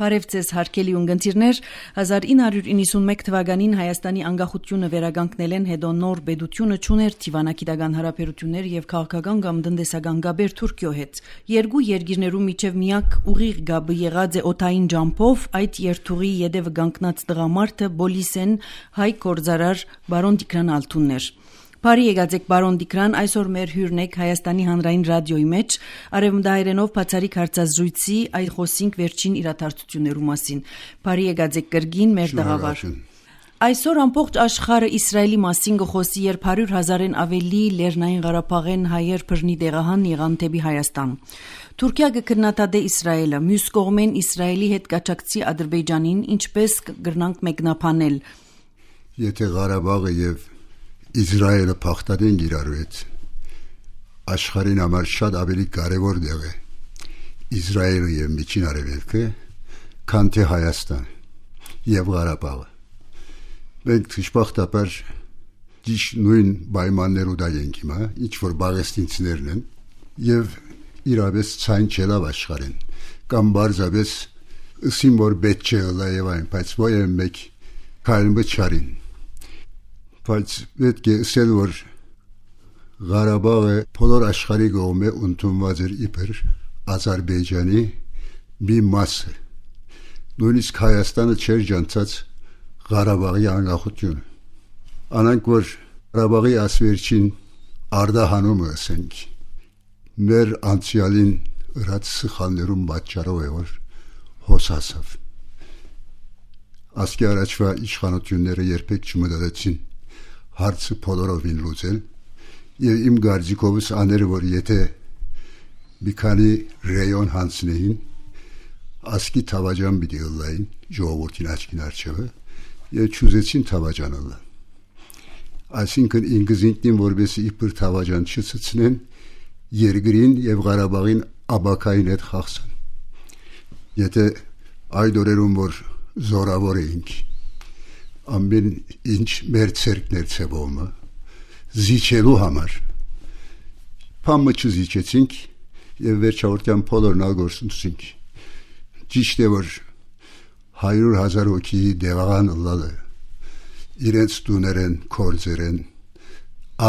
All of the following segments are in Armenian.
Բարև ձեզ հարգելի ունգընտիրներ, 1991 թվականին Հայաստանի անկախությունը վերականգնել են, հետո նոր պետությունը չուներ դիվանագիտական հարաբերություններ եւ քաղաքական կամ տնտեսական գաբեր Թուրքիո հետ։ Երկու երկիրներու միջև միակ ուղիղ գաբը եղած է օդային ջամփով, այդ երթուղի յետևը կանգնած տղամարդը Բոլիսեն հայ գործարար բարոն Տիգրան Ալթուններ։ Բարի եկած բարոն Տիգրան, այսօր մեր հյուրն եք Հայաստանի հանրային ռադիոյի մեջ, արևմտահայերենով բացառիկ հարցազրույցի այդ խոսինք վերջին իրադարձություններու մասին։ Բարի եկած կրգին մեր տաղավար։ Այսօր ամբողջ աշխարհը Իսրայելի մասին գխոսի, երբ 100,000-ն ավելի Լեռնային Ղարաբաղեն հայեր բռնի տեղահան եղան դեպի Հայաստան։ Թուրքիա կքննադատե Իսրայելը, մյուս կողմեն Իսրայելի հետ կաչակցի Ադրբեջանին, ինչպես կգրնանք մեկնաբանել։ Եթե Ղարաբաղը եւ Իսրայելը փախտadեն իրարու հետ, աշխարհին համար շատ ավելի կարևոր դեղ է Իսրայելը եւ Միջին Արևելքը, քան թե Հայաստան եւ Ղարաբաղը։ Մենք դժբախտաբար ճիշտ նույն պայմաններով դա ենք հիմա, ինչ որ բաղեստինցիներն են եւ իրավես ցայն չելավ աշխարհին, կամ բարձավես ըսիմ որ պետք չէ լայև այն, բայց ոյ մեկ քայլն բչարին։ Բայց պետք է ասել, որ Ղարաբաղը բոլոր աշխարհի կողմէ ընդունված էր իբր Ադրբեջանի մի մասը։ Նույնիսկ Հայաստանը չէր ջանցած Ղարաբաղի անկախությունը։ Անանք որ Ղարաբաղի ասվերջին արդահանումը ասենք, մեր անցյալին ըրած սխալներում պատճառով է, որ հոսասավ։ Ասկի առաջվա իշխանությունները երբեք չմտածեցին հարցը բոլորովին լուծել եւ իմ գարձիկովս աներ որ եթե մի քանի ռեյոն հանցնեին ասկի թավաջան պիտի ըլլային ժողովրդին աչքին արջևը եւ չուզեցին թավաջանալը այսինքն ինքնին որբեսի իբր թավաջան չցցնեն երկրին եւ Ղարաբաղին աբակային հետ խախսեն եթե այդ օրերում որ զորավոր էինք ամեն ինչ մեր ցերկներ ցեվոմը զիջելու համար փամը չզիջեցինք եւ վերջավորության բոլորն ալգորսունցինք ճիշտ է որ 100,000 հոգի դեղան լալը իրենց տուներեն կորձերեն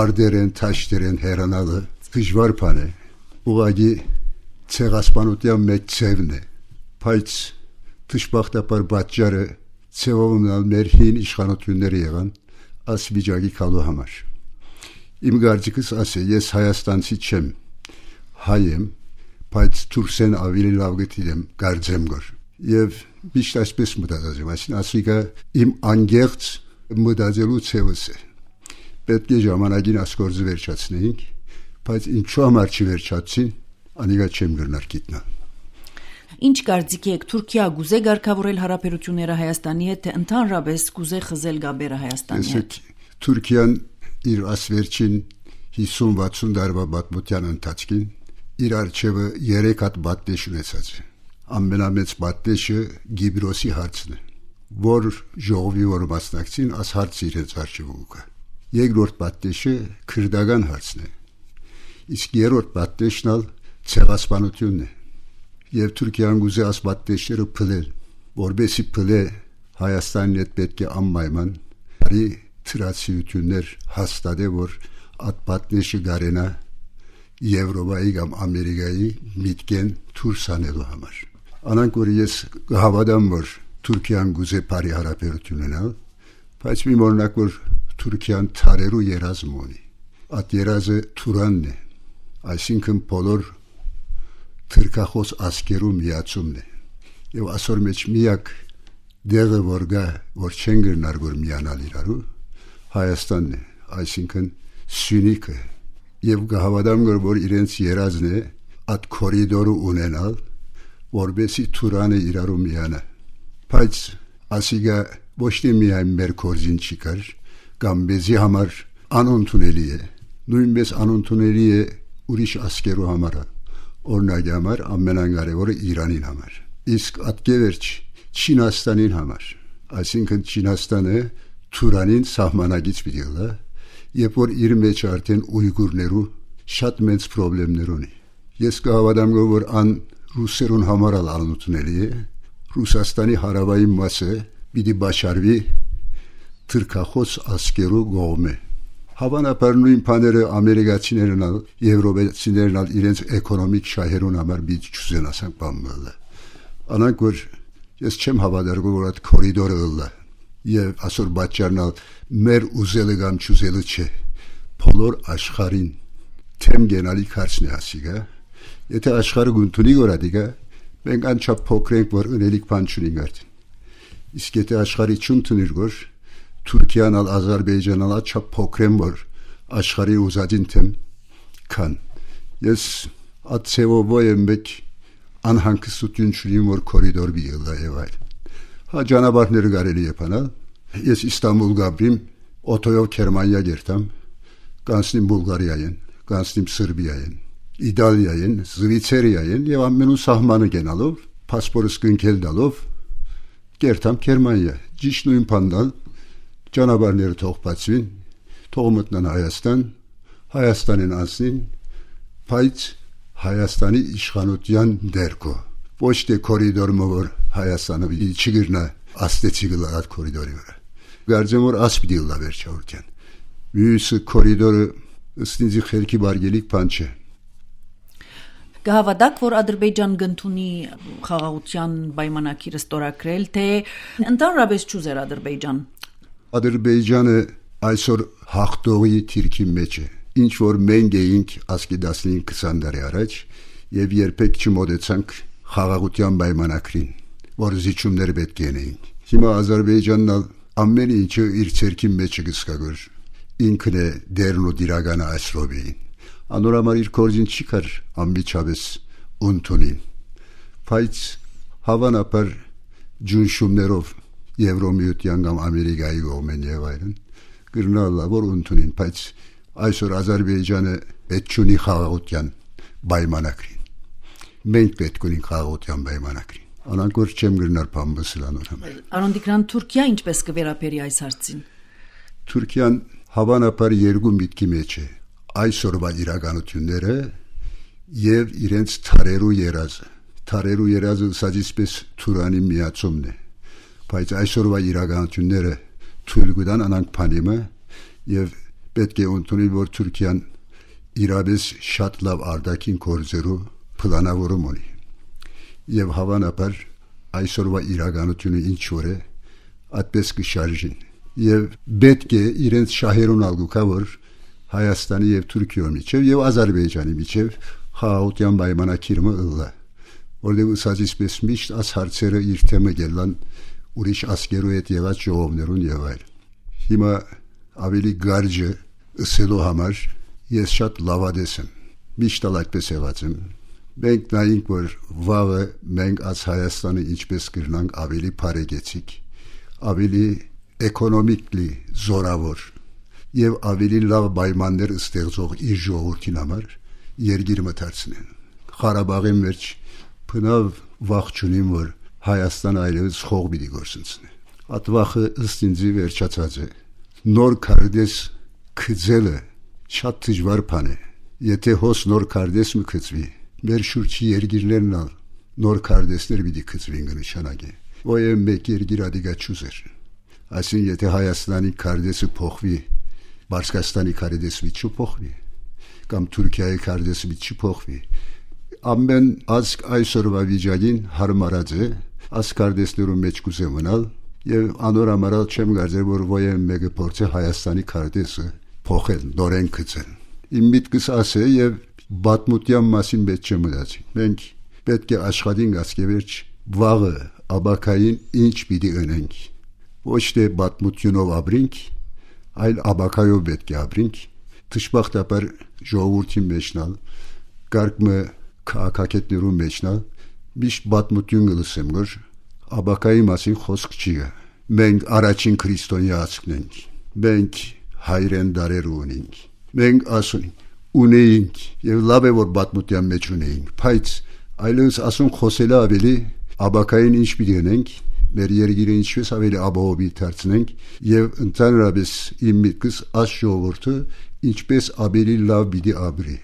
արդերեն թաշտերեն հերանալը դժվար բան է ուղղակի ցեղասպանության մեծ ցևն է բայց դժբախտաբար պատճառը ցեվոմնալ մեր հին իշխանությունները եղան աս վիճակի կալու համար իմ գարձիկս ասե ես հայաստանցի չեմ հայ եմ բայց թուրքսեն ավելի լավ գտիեմ գարձեմ գոր եւ միշտ այսպես մտածում այսին ասիկա իմ անգերց մտածելու ցևս է պետք է ժամանակին ասկորձը վերջացնեինք բայց ինչու համար չվերջացին անիգա չեմ գրնար գիտնալ Ինչ կարծիք եք Թուրքիա գուզե ղեկավարել հարաբերությունները Հայաստանի հետ թե ընդհանրապես գուզե խզել գաբերը Հայաստանի հետ Թուրքիան իր ասվերջին 50-60 տարվա պատմության ընթացքին իր արչևը 3 հատ պատնեշ ունեցած է ամենամեծ պատնեշը Գիբրոսի հարցն է որ ժողովի որ մասնակցին աս հարցը իրենց արչևում կա երկրորդ պատնեշը քրդական հարցն է իսկ երրորդ պատնեշն ալ ցեղասպանությունն է Եվ Թուրքիան գուզե ասպատտեշները փլել, որբեսի փլե Հայաստանին հետ պետք է անպայման բարի թրացիություններ հաստատե, որ այդ պատնեշը գարենա Եվրոպայի կամ Ամերիկայի միտքեն դուրս անելու համար։ Անանք որ ես հավատամ, որ Թուրքիան գուզե բարի հարաբերություն ունենալ, բայց մի օրինակ որ Թուրքիան թարերու երազմ ունի։ Այդ երազը Թուրանն է, այսինքն բոլոր թրկախոս ասկերու միացումն է եւ ասոր մեջ միակ դեղը որ գա որ չեն գրնար որ միանալ իրարու Հայաստանն է այսինքն Սյունիքը եւ գահավադամ որ իրենց երազն է այդ կորիդորը ունենալ որբեսի Թուրանը իրարու միանա բայց ասիգա ոչ թե միայն մեր կորզին չի կար կամ մեզի համար անընդունելի է նույնպես անընդունելի է ուրիշ ասկերու համար Օրինակ համար ամենակարևորը Իրանին համար իսկ ատկևերջ Չինաստանին համար այսինքն Չինաստանը Թուրանին սահմանագից պիտի լա երբ որ իր մեջ արդեն ույգուրներու շատ մեծ խնդիրներ ունի ես կհավատամ որ ան ռուսերուն համար անընդունելի է Ռուսաստանի հարավային մասը պիտի բաշխարվի թուրքախոս ասկերու կողմը։ Հավանաբար նույն բաները ամերիկացիներն ալ եվրոպացիներն ալ իրենց էկոնոմիկ շահերուն համար պիտի չուզենան բամբալը։ Անանք որ ես չեմ հավատալու որ այդ կորիդորը ըլլա եւ ասոր բաճարնալ մեր ուզելը կամ չուզելը չէ բոլոր աշխարհին թեմ գենալի քարցնի ասիգա եթե աշխարհը գունտունի գորադիգա մենք անչափ փոքրենք որ ունելիք բան չունենք արդեն իսկ եթե աշխարհի չունտնիր որ Թուրքիան ալ Ադրբեջանն ալ չափ փոքրեն որ աշխարհի ուզածին թեմ կան ես ացեվով եմ մեկ անհանգստություն չունիմ որ կորիդոր բիլա եւ այլ հա ճանապարհները կարելի է բանալ ես Իստանբուլ գաբրիմ օտոյով Գերմանիա գերտամ կանցնիմ Բուլղարիային կանցնիմ Սերբիային Իտալիային Զվիցերիային եւ ամենու սահմանը գնալով паспորտս կնքել դալով գերտամ Գերմանիա ճիշտ նույն բանդալ ճանապարհները թող բացվին թող մտնան Հայաստանին անցնին բայց Հայաստանի իշխանության դերկո ոչ թե կորիդորը որ Հայաստանը չգրնա աստեցի գլարած կորիդորի վրա գարձեմ որ ասպիդի լա վերջավորության մյուսը կորիդորը ըստինձի խելքի բարգելիք բան չէ Գահավատակ որ Ադրբեջան գտնունի խաղաղության պայմանագիրը ստորագրել թե ընդհանրապես չուզեր Ադրբեջանը այսօր հաղթողի թիրքի մեջ է ինչ որ մենք էինք ասկի 15-20 տարի առաջ եւ երբեք չմոտեցանք խաղաղության պայմանագրին որ զիջումներ պետք է լինեն հիմա Ադրբեջանն ամեն ինչը իր ցերքի մեջ գսկագոր ինքն է դերն ու դիրականը այսրոբին անորամար իր կորձին չի կար ամբիջավես ունտունին բայց հավանաբար ջունշումներով Եվրոմիության կամ Ամերիկայի կողմեն եւ այլն գրնալա որ ունտունին բայց այսօր Ադրբեջանը պետք չունի խաղաղության պայմանագրին մենք պետք ունենք խաղաղության պայմանագրին անանք որ չեմ գրնալ բամբսլանոր համար Արոն Տիգրան Թուրքիա ինչպես կվերապերի այս հարցին Թուրքիան հավանաբար երկու միտքի մեջ է այսօրվա իրականությունները եւ իրենց թարերու երազը սադիսպես Թուրանի միացումն է բայց այսօրվա իրականությունները թույլ կտան անանք փանիմը եւ պետք է ընդունի որ Թուրքիան իրավես շատ լավ արտաքին գործերու պլանավորում ունի եւ հավանաբար այսօրվա իրականությունը ինչ որ է այդպես կշարժին եւ պետք է իրենց շահերուն ալգուկա որ Հայաստանի եւ Թուրքիոյի միջեւ եւ Ադրբեջանի միջեւ խաղաղության պայմանագիրը ըլլա որտեղ սազիսպես միշտ աս հարցերը իր թեմը գելան ուրիշ ասկերու հետ եղած ժողովներուն եւ այլ հիմա ավելի գարջը ըսելու համար ես շատ լավադես եմ միշտ այդպես եղած եմ մենք նայենք որ վաղը մենք աս Հայաստանը ինչպես կրնանք ավելի բարեկեցիկ ավելի էկոնոմիկլի զորավոր եւ ավելի լավ պայմաններ ստեղծող իր ժողովրդին համար երգիր մտածնեն Ղարաբաղի մեջ բնավ վախճունին որ Հայաստանը այլևս խող պիտի գործընծնի այդ վախը ըստ ինձի վերջացած է նոր քարտեզ քծելը շատ դժվար բան է եթե հոս նոր քարտեզ մկծվի մեր շուրջի երգիրներն նոր քարտեզներ պիտի քծվին կնշանակի ոյ մեկ երգիր ադիգա չուզեր այսինքն եթե Հայաստանի քարտեզը փոխվի Բարսկաստանի քարտեզը չփոխվի կամ Թուրքիայի քարտեզը չփոխվի ամեն ազգ այսօրվա վիճակին հարմարած է ասկարդեսներու մեջ կուզե մնալ եւ անորամարալ չեմ գարձեր որ ոյ մեկը փորձե Հայաստանի քարտեզը փոխել նորեն գծել իմ միտքս ասե եւ բաթմուտյան մասին պետք չէ մտածի մենք պետք է աշխատենք ասկեվերջ վաղը աբակային ինչ պիտի ունենք ոչ թե բաթմուտյունով ապրենք այլ աբակայով պետք է ապրենք դժբախտաբար ժողովրդի մեջնալ կարգը քաղաքակետներու մեջնալ միշտ բաթմություն գլսեմ որ աբակայի մասին խոսք չի մենք առաջին քրիստոնյացն ենք մենք հայրեն դարեր ունենք մենք ասում ունենք եւ լավ է որ բաթմության մեջ ունենք բայց այլևս ասում խոսելը ավելի աբակային ինչ պիտի ունենք մեր երգիրը ինչպես ավելի ապահովի դարձնենք եւ ընդհանրապես իմ միտքս աս ժողովուրդը ինչպես ավելի լավ պիտի ապրի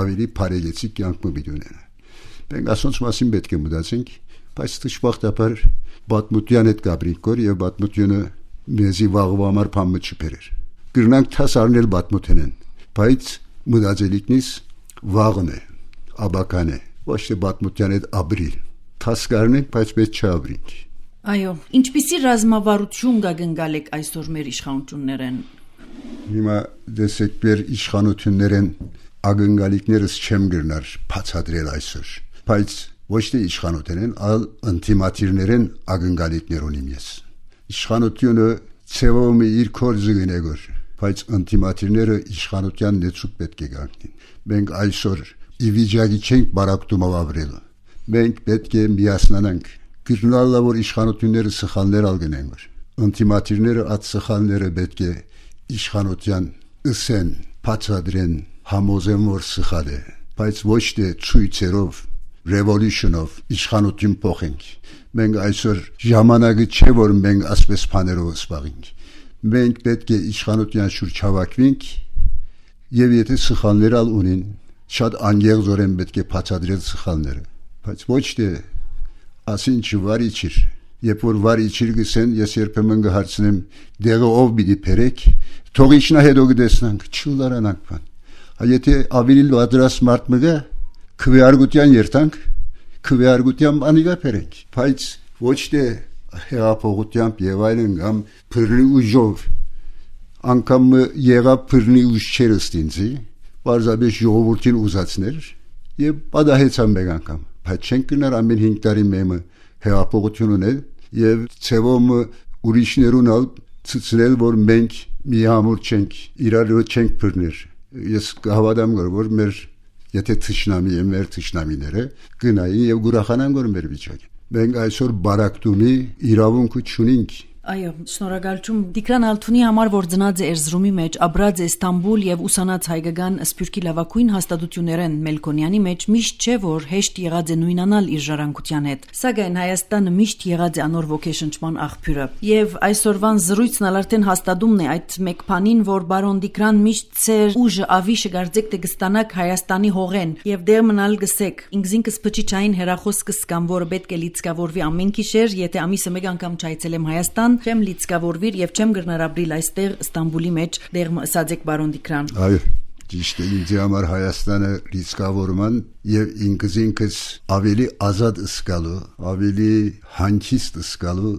ավելի բարեկեցիկ կյանք պիտի ունենա մենք ասոնց մասին պետք է մտածենք բայց դժբախտաբար պատմության հետ գաբրիկ կոր եւ պատմությունը մեզի վաղվա համար փամը չբերեր գրնանք թասարնել պատմութենեն բայց մտածելիքնից վաղն է աբական է ոչ թե պատմության հետ աբրիլ թասկարնենք բայց պետք չէ աբրինք այո ինչպիսի ռազմավարություն գագնգալեք այսօր մեր իշխանություններեն հիմա դեսեք մեր իշխանություններեն ագնգալիքներս չեմ գրնար բացատրել այսօր բայց ոչ թե իշխանություններեն այլ ինտիմատիրներեն ագնգալիքներ ունիմ ես իշխանությունը ցեվում իր կորձը գնեգոր բայց ինտիմատիրները իշխանության նեցուկ պետք է գանքին մենք այսօր ի վիճակի չենք բարակտումով ապրելու մենք պետք է միասնանանք գտնալը որ իշխանությունները սխալներ ալգնեն որ ինտիմատիրները այդ սխալները պետք է իշխանության ըսեն բացադրեն համոզեն որ սխալ է բայց ոչ թե ցույցերով revolution-ով իշխանություն փոխենք մենք այսօր ժամանակը չէ որ մենք ասպես բաներով սպառենք մենք պետք է իշխանության շուրջ հավաքվենք եւ եթե սխալներ ալ ունին շատ անգեղձորեն պետք է բացատրել սխալները բայց ոչ թե ասին չվարիչիր երբ որ վարիչիր գսեն ես երբեմն կհարցնեմ դեղը ով պիտի փերեք թողիշնա հետո կտեսնանք չլարանանք բան եթե ավելի լադրաս մարդ մգա քվեարկության երթանք քվեարկության անիգա փերենք բայց ոչ թե հեղափոխությամբ եւ այլն կամ փռնի ուժով անկամ եղավ փռնի ուժ չերստինցի բարձաբեշ ժողովրդին ուզածներ եւ պատահեցան մեկ անգամ բայց չենք գնար ամեն 5 տարի մեմը հեղափոխություն ունել եւ ցեվում ուրիշներուն ալ ցցնել որ մենք միամուր չենք իրար չենք փռներ ես կհավատամ որ մեր եթե թշնամի եմ մեր թշնամիները գնային եւ գուրախանան որ մեր վիճակը մենք այսօր բարակտումի իրավունք չունենք այո շնորհակալություն Տիգրան Ալթունի համար որ ծնած է Էրզրումի մեջ ապրած է Ստամբուլ եւ ուսանած հայկական սփյուռքի լավագույն հաստատություններեն Մելքոնյանի մեջ միշտ չէ որ հեշտ եղած է նույնանալ իր ժառանգության հետ սակայն Հայաստանը միշտ եղած է անոր ոգեշնչման աղբյուրը եւ այսօրվան զրույցն արդեն հաստատումն է այդ մեկ բանին որ բարոն Տիգրան միշտ ծեր ուժը ավիշը գարձեք թե կստանաք Հայաստանի հողեն եւ դեր մնալ գսեք ինքզինքս փչիչային հերախոս կսկամ որը պետք է լիցկավորվի ամեն գիշեր եթե ամիսը մեկ անգամ չայցելեմ Հայաստան չեմ լիցկավորվիր եւ չեմ գրնարաբրիլ այստեղ Ստամբուլի մեջ դեր ասացեք բարոն Տիգրան այո ճիշտ է ինձ համար Հայաստանը լիցկավորման եւ ինքզինքս ավելի ազատ ըսկալու ավելի հանգիստ ըսկալու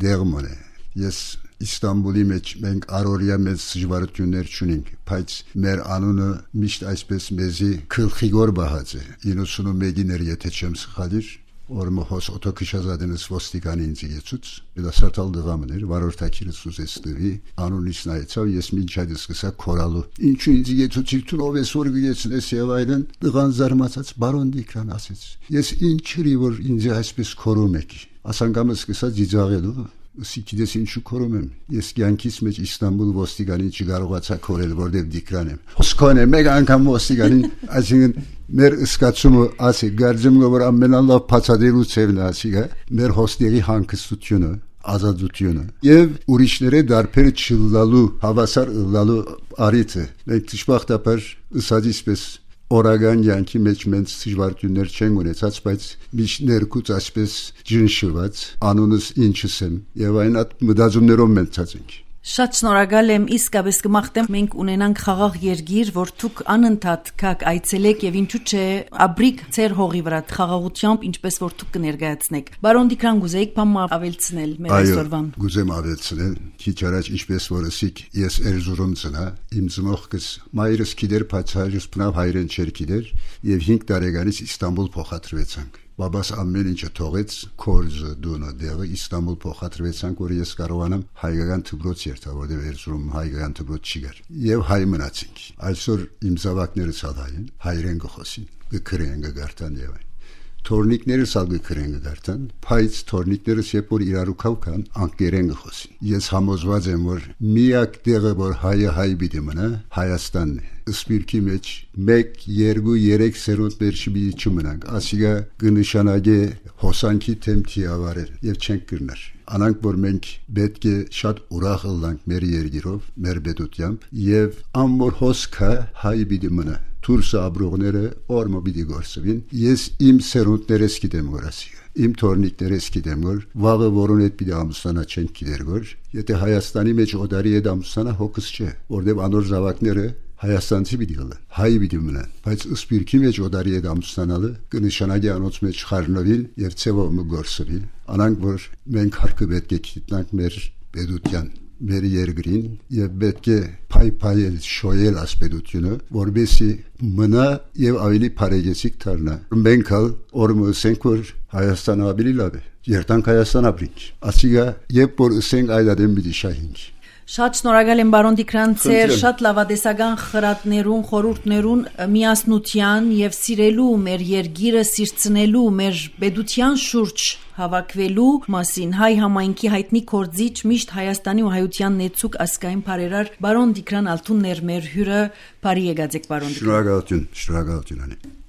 դերմն է ես Իստանբուլի մեջ մենք առօրյա մեծ դժվարություններ չունենք բայց մեր անունը միշտ այսպես մեզի քլխիգոր բահած է 91-ին եթե չեմ սխալիր Ormo hos otokışazadınız vostikani inzigetsuz, bilasartal dığamınır, varortakiriz suzestiri, anunis naitsav, yesmin çaydız kısa koralı. İnçün inzigetsuz, çiltun o ve sorgu geçsin esiyavaylan, dığan zarmatsats, baron dikran asets. Yes inçiri var inzi aspes korumek. Asangamız kısa cicağelu, sikidesin şu korumem. Yes yankismeç İstanbul vostikani çıgarugatsa korel vordev dikranem. Hoskone, mega ankam vostikani, azingen, Մեր ըսկացումը ասի գարձում որ ամեն Allah բացադրելու ծևն ասիգա մեր հոստերի հանգստությունը ազատությունը եւ ուրիշները դարբերը չլալու հավասար լալու արիթը մենք դժբախտաբար ըսածիսպես օրագան յանքի մեջ մենք դժվարություններ չենք ունեցած բայց միշտ ներկուց այսպես ջնշված անունս ինչս եմ եւ այն այդ մտածումներով մենք ցածենք Շատ շնորհակալ եմ իսկապես կմաղթեմ մենք ունենանք խաղաղ երկիր որ դուք անընդհատ կաք այցելեք եւ ինչու՞ չէ աբրիկ ծեր հողի վրա խաղաղությամբ ինչպես որ դուք կներկայացնեք Բարոն Տիգրան գուզեիք բամա ավելցնել մեր այսօրվան Գուզեմ ավելցնել քիչ առաջ ինչպես որ ասիք ես Էրզուրումցնա իմ ծնողքս մայրս գիտեր բացահայրս բնավ հայրեն չեր գիտեր եւ 5 տարեկանից Իստանբուլ փոխադրվեցանք Բաբաս ամեն ինչը թողեց կորզը դունը դեղը Իստանբուլ փոխադրվեցանք որ ես կարողանամ հայկական դպրոց երթալ որտեղ Էրզուրում հայկական դպրոց չի գար եւ հայ մնացինք այսօր իմ զավակները ցալային հայրեն գխոսին գքրեն գարտան եւ Թորնիկներս ալ գքրեն գարտան բայց թորնիկներս երբ որ իրարու կան անկերեն գխոսին ես համոզված եմ որ միակ տեղը որ հայը հայ պիտի մնա Հայաստանն է սպիրկի մեջ 1 2 3 սերունդներ չմնանք ասիգա կնշանակե հոսանքի թեմքի ավարել եւ չենք կրնար անանք որ մենք պետք է շատ ուրախ լինենք մեր երկիրով մեր պետությամբ եւ ամոր հոսքը հայ պիտի մնա Թուրս աբրողները օրմո պիտի գործվին ես իմ սերունդներս գիտեմ որ ասիգա իմ թորնիկներս գիտեմ որ վաղը որոն այդ պիտի ամուսնանա չեն գիտեր որ եթե Հայաստանի մեջ օդարի հետ ամուսնանա հոգս չէ որտեվ անոր զավակները Հայաստանցի պիտի լինեն հայ պիտի մնան բայց սպիրկի մեջ օդարի հետ ամուսնանալը կնշանակի անոնց մեջ խառնվել եւ ցեվով գործել անանք որ մենք հարկը պետք է գիտնանք մեր պետության մեր երկրին եւ պետք է փայփայել շոյել ասպետությունը որբեսի մնա եւ ավելի բարեգեցիկ դառնա մենք օրմոսենք որ Հայաստանը ավելի լավ է երտանք Հայաստան ապրինք ասիգա երբ որ ասենք այլ ադեմ մի շահինք Շատ շնորհակալ եմ բարոն Տիգրանցեր, շատ լավադեսական խրատներուն, խորհուրդներուն միասնության եւ սիրելու մեր երգիրը, սիրցնելու մեր պետության շուրջ հավաքվելու մասին հայ համայնքի հայտնի կորձիչ միշտ Հայաստանի ու հայության նեցուկ ասկային բարերար բարոն Տիգրան Ալթունն էր մեր հյուրը, բարի եկած եք բարոն Տիգրան։ Շնորհակալություն, շնորհակալություն։